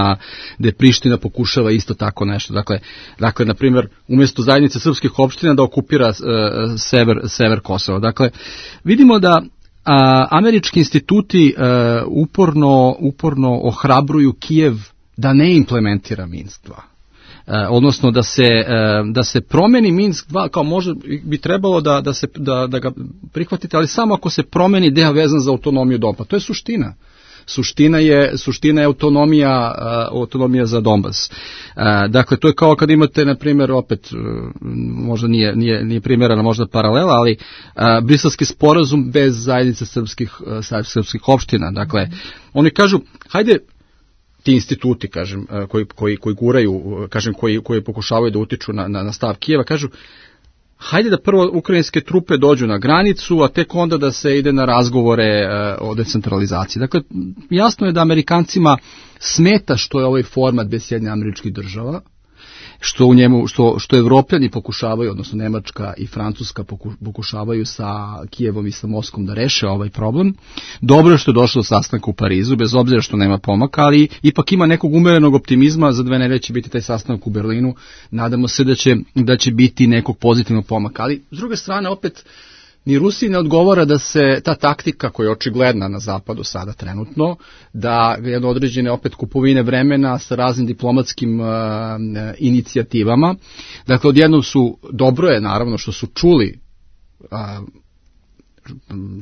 gde Priština pokušava isto tako nešto. Dakle, na primjer, umjesto zajednice srpskih opština da okupira sever Kosova. Dakle, vidimo da američki instituti uporno ohrabruju Kijev da ne implementira Minsk 2. Odnosno da se promeni Minsk 2, kao možda bi trebalo da ga prihvatite, ali samo ako se promeni deo vezan za autonomiju Donbasa. To je suština. Suština je autonomija za Donbas. Dakle, to je kao kad imate, na primjer, opet, možda nije primjerena možda paralela, ali briselski sporazum bez zajednice srpskih opština. Dakle, oni kažu, hajde, ti instituti, kažem, koji guraju, kažem, koji pokušavaju da utiču na stav Kijeva, kažu, hajde da prvo ukrajinske trupe dođu na granicu, a tek onda da se ide na razgovore o decentralizaciji. Dakle, jasno je da Amerikancima smeta što je ovaj format bez Sjedinjenih Američkih Država što u njemu, što Evropljani pokušavaju, odnosno Nemačka i Francuska pokušavaju sa Kijevom i sa Moskvom da reše ovaj problem. Dobro je što je došlo do sastanka u Parizu, bez obzira što nema pomaka, ali ipak ima nekog umerenog optimizma, za 2 nedelje će biti taj sastanak u Berlinu, nadamo se da će biti nekog pozitivnog pomaka, ali s druge strane opet ni Rusiji ne odgovara da se ta taktika koja je očigledna na zapadu sada trenutno, da jedno određene opet kupovine vremena sa raznim diplomatskim inicijativama. Dakle, odjednom dobro je naravno što su čuli,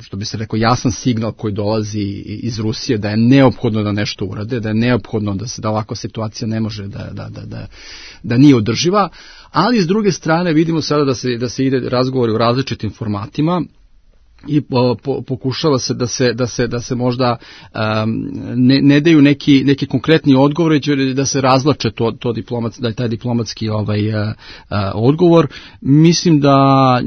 što bi se rekao, jasan signal koji dolazi iz Rusije da je neophodno da nešto urade, da je neophodno da ovakva situacija ne može da nije održiva, ali s druge strane vidimo sada da se ide razgovori u različitim formatima i pokušava se da se možda ne daju neki konkretni odgovor, da se razvlače da je taj diplomatski odgovor. Mislim da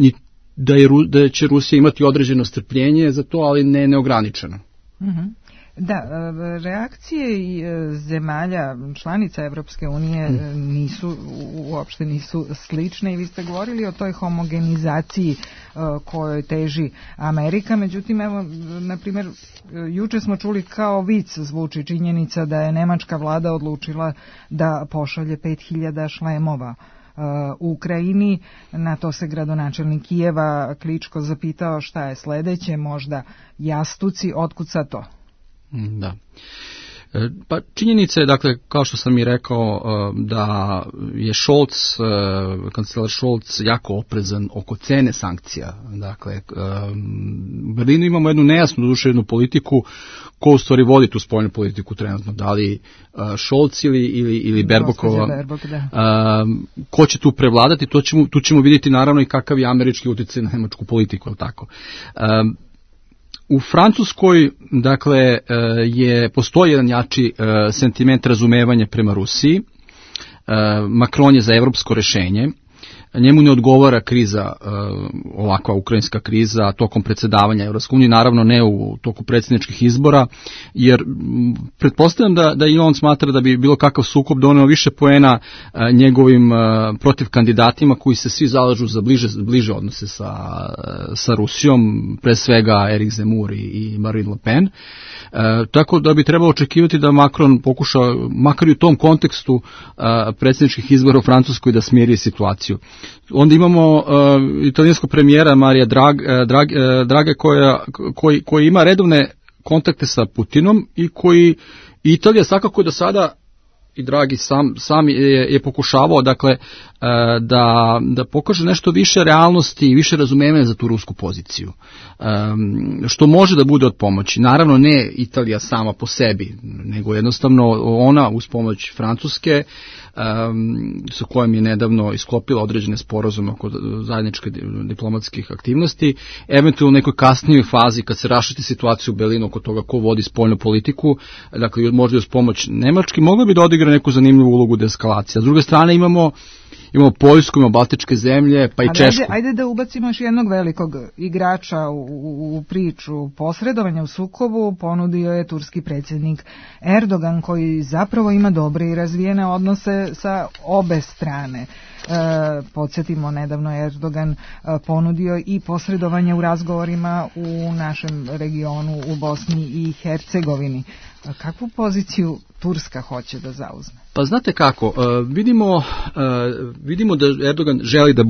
će Rusija imati određeno strpljenje za to, ali ne neograničeno. Da, reakcije zemalja članica Evropske unije uopšte nisu slične i vi ste govorili o toj homogenizaciji kojoj teži Amerika, međutim, evo, na primjer, juče smo čuli kao vic zvuči činjenica da je nemačka vlada odlučila da pošalje 5000 šlemova u Ukrajini. Na to se gradonačelnik Kijeva Kličko zapitao šta je sledeće, možda jastuci, otkud sad to? Da. Pa činjenica je, dakle, kao što sam i rekao, da je kancelar Scholz jako oprezan oko cene sankcija. Dakle, u Berlinu imamo jednu nejasnu, doduše jednu politiku, ko u stvari vodi tu spoljnu politiku trenutno, da li Scholz ili Baerbockova. Ko će tu prevladati, tu ćemo vidjeti naravno i kakav je američki utjecaj na nemačku politiku, je li tako? U Francuskoj, dakle, postoji jedan jači sentiment razumevanja prema Rusiji. Macron je za evropsko rešenje. Njemu ne odgovara kriza, ovakva ukrajinska kriza, tokom predsjedavanja Evropske unije, naravno ne u toku predsjedničkih izbora, jer pretpostavljam da i on smatra da bi bilo kakav sukob doneo više poena njegovim protiv kandidatima koji se svi zalažu za bliže odnose sa Rusijom, pre svega Erik Zemmour i Marine Le Pen. Tako da bi trebalo očekivati da Macron pokuša, makar i u tom kontekstu predsjedničkih izbora u Francuskoj, da smiri situaciju. Onda imamo italijanskog premijera Marija Draghe koji ima redovne kontakte sa Putinom i koji Italija svakako do sada, i Draghi sam je pokušavao, dakle, da pokaže nešto više realnosti i više razumevanja za tu rusku poziciju, što može da bude od pomoći. Naravno ne Italija sama po sebi, nego jednostavno ona uz pomoć Francuske, sa kojom je nedavno isklopila određene sporazume oko zajedničke diplomatskih aktivnosti, eventualno u nekoj kasnijoj fazi kad se rašiti situaciju u Berlinu oko toga ko vodi spoljnu politiku, dakle možda uz pomoć Nemačke, mogla bi da odigra neku zanimljivu ulogu deeskalacije. S druge strane imamo Poljsku, imamo Baltičke zemlje, pa i Češku. Ajde da ubacimo još jednog velikog igrača u priču. Posredovanja u sukobu ponudio je turski predsjednik Erdogan, koji zapravo ima dobre i razvijene odnose sa obe strane. Podsjetimo, nedavno je Erdogan ponudio i posredovanje u razgovorima u našem regionu u Bosni i Hercegovini. Kakvu poziciju Turska hoće da zauzme? Pa znate kako, vidimo da Erdogan želi da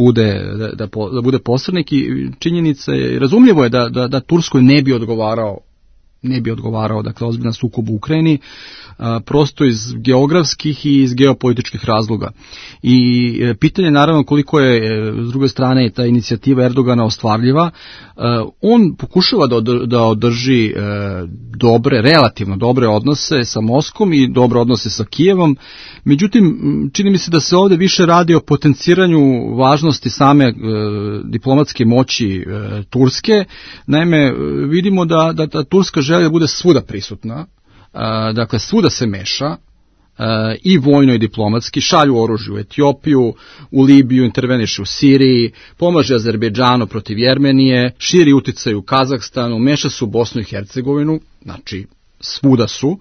bude posrednik i činjenica je, razumljivo je da Turskoj ne bi odgovarao, dakle, ozbiljan sukob u Ukrajini, prosto iz geografskih i iz geopolitičkih razloga. I pitanje je naravno koliko je, s druge strane, ta inicijativa Erdogana ostvarljiva. On pokušava da održi relativno dobre odnose sa Moskvom i dobre odnose sa Kijevom, međutim, čini mi se da se ovdje više radi o potenciranju važnosti same diplomatske moći Turske. Naime, vidimo da Turska želi da bude svuda prisutna, dakle svuda se meša, i vojno i diplomatski, šalju oružje u Etiopiju, u Libiju, interveniše u Siriji, pomaže Azerbejdžanu protiv Jermenije, širi uticaj u Kazahstanu, meša se u Bosnu i Hercegovinu, znači svuda su.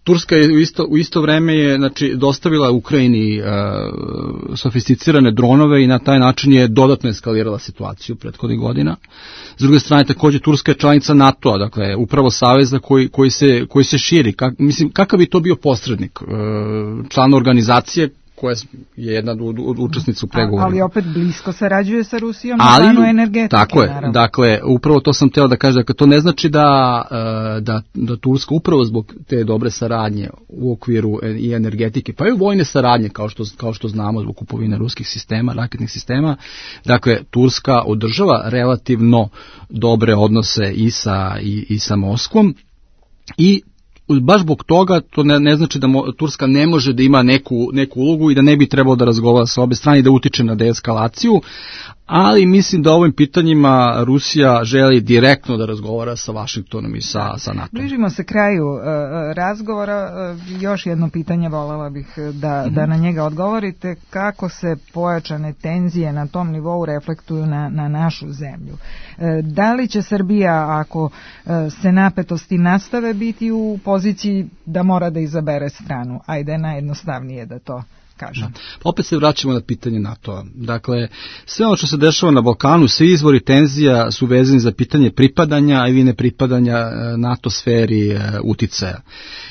Turska je u isto vreme je dostavila Ukrajini sofisticirane dronove i na taj način je dodatno eskalirala situaciju prethodnih godina. S druge strane, takođe Turska je članica NATO-a, dakle upravo saveza koji se širi. Kakav bi to bio posrednik? Član organizacije koja je jedna od učesnica u pregovorima. Ali opet blisko sarađuje sa Rusijom na planu energetike. Tako je, naravno. Dakle, upravo to sam hteo da kažem, dakle, to ne znači da Turska upravo zbog te dobre saradnje u okviru i energetike, pa i vojne saradnje, kao što znamo zbog kupovine ruskih sistema, raketnih sistema, dakle, Turska održava relativno dobre odnose i sa Moskvom i baš zbog toga to ne znači da Turska ne može da ima neku ulogu i da ne bi trebalo da razgovara sa obe strane i da utiče na deeskalaciju, ali mislim da ovim pitanjima Rusija želi direktno da razgovara sa Vašingtonom i sa NATO. Bližimo se kraju razgovora. Još jedno pitanje volela bih da na njega odgovorite. Kako se pojačane tenzije na tom nivou reflektuju na našu zemlju? Da li će Srbija, ako se napetosti nastave, biti u poziciji da mora da izabere stranu? Ajde, najjednostavnije da to kažem. Opet se vraćamo na pitanje NATO-a. Dakle, sve ono što se dešava na Balkanu, svi izvori tenzija su vezani za pitanje pripadanja ili nepripadanja NATO sferi uticaja.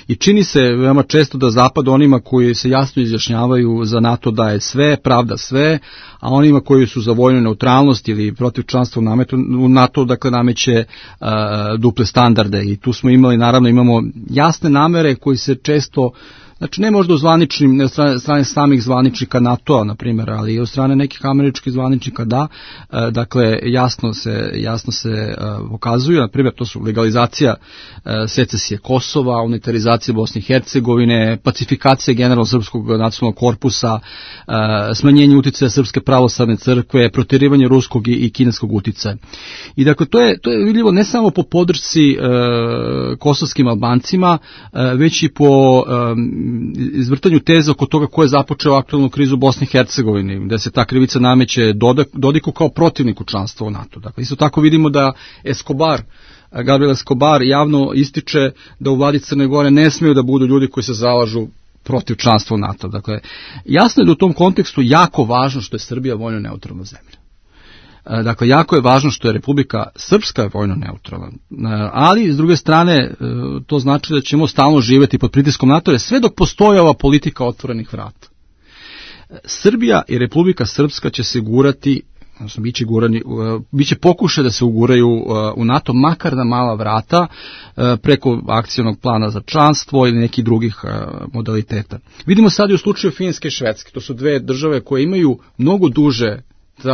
I čini se veoma često da Zapad onima koji se jasno izjašnjavaju za NATO daje sve, pravda sve, a onima koji su za vojnu neutralnost ili protiv članstva u NATO, dakle, nameće duple standarde. I tu smo imamo jasne namere koji se često, znači ne možda ne od strane samih zvaničnika NATO-a, na primjer, ali i od strane nekih američkih zvaničnika, da, dakle, jasno se pokazuju, na primjer, to su legalizacija secesije Kosova, unitarizacija Bosne i Hercegovine, pacifikacija generalno srpskog nacionalnog korpusa, smanjenje uticaja Srpske pravoslavne crkve, proterivanje ruskog i kineskog uticaja. I dakle, to je vidljivo ne samo po podršci kosovskim Albancima, već i po izvrtanju teze oko toga ko je započeo aktualnu krizu u Bosni i Hercegovini, gde se ta krivica nameće Dodiku kao protivniku članstva u NATO. Dakle, isto tako vidimo da Gabriel Escobar javno ističe da u vladi Crne Gore ne smiju da budu ljudi koji se zalažu protiv članstva u NATO. Dakle, jasno je da u tom kontekstu jako važno što je Srbija vojno neutralna zemlja. Dakle, jako je važno što je Republika Srpska vojno neutralna, ali s druge strane to znači da ćemo stalno živjeti pod pritiskom NATO, sve dok postoji ova politika otvorenih vrata. Srbija i Republika Srpska će se gurati, odnosno biće pokušaj da se uguraju u NATO, makar na mala vrata, preko akcionog plana za članstvo ili nekih drugih modaliteta. Vidimo sad i u slučaju Finske i Švedske, to su dve države koje imaju mnogo duže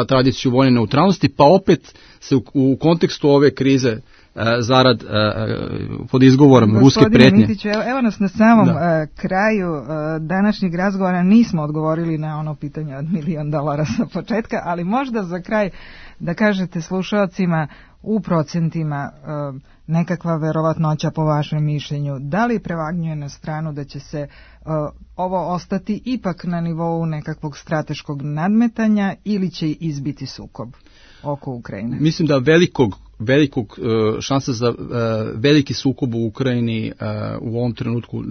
tradiciju vojne neutralnosti, pa opet se u kontekstu ove krize zarad pod izgovorom ruske pretnje. Mitiću, evo nas na samom kraju današnjeg razgovora, nismo odgovorili na ono pitanje od $1 milion sa početka, ali možda za kraj da kažete slušalcima u procentima nekakva verovatnoća po vašem mišljenju, da li prevagnjuje na stranu da će se ovo ostati ipak na nivou nekakvog strateškog nadmetanja ili će izbiti sukob oko Ukrajine? Mislim da velikog šansa za veliki sukob u Ukrajini u ovom trenutku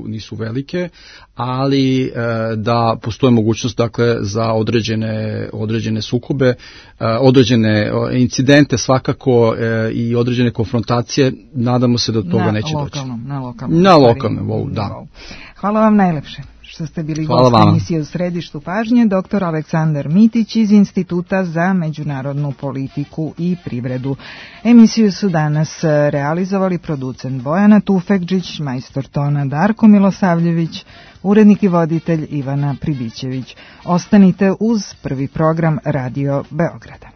nisu velike, ali da postoji mogućnost, dakle, za određene sukobe, određene incidente svakako i određene konfrontacije. Nadamo se da do toga neće doći. Na lokalnom, da. Hvala vam najlepše što ste bili gost emisije U središtu pažnje, dr. Aleksandar Mitić iz Instituta za međunarodnu politiku i privredu. Emisiju su danas realizovali producent Bojana Tufekđić, majstor tona Darko Milosavljević, urednik i voditelj Ivana Pribićević. Ostanite uz prvi program Radio Beograda.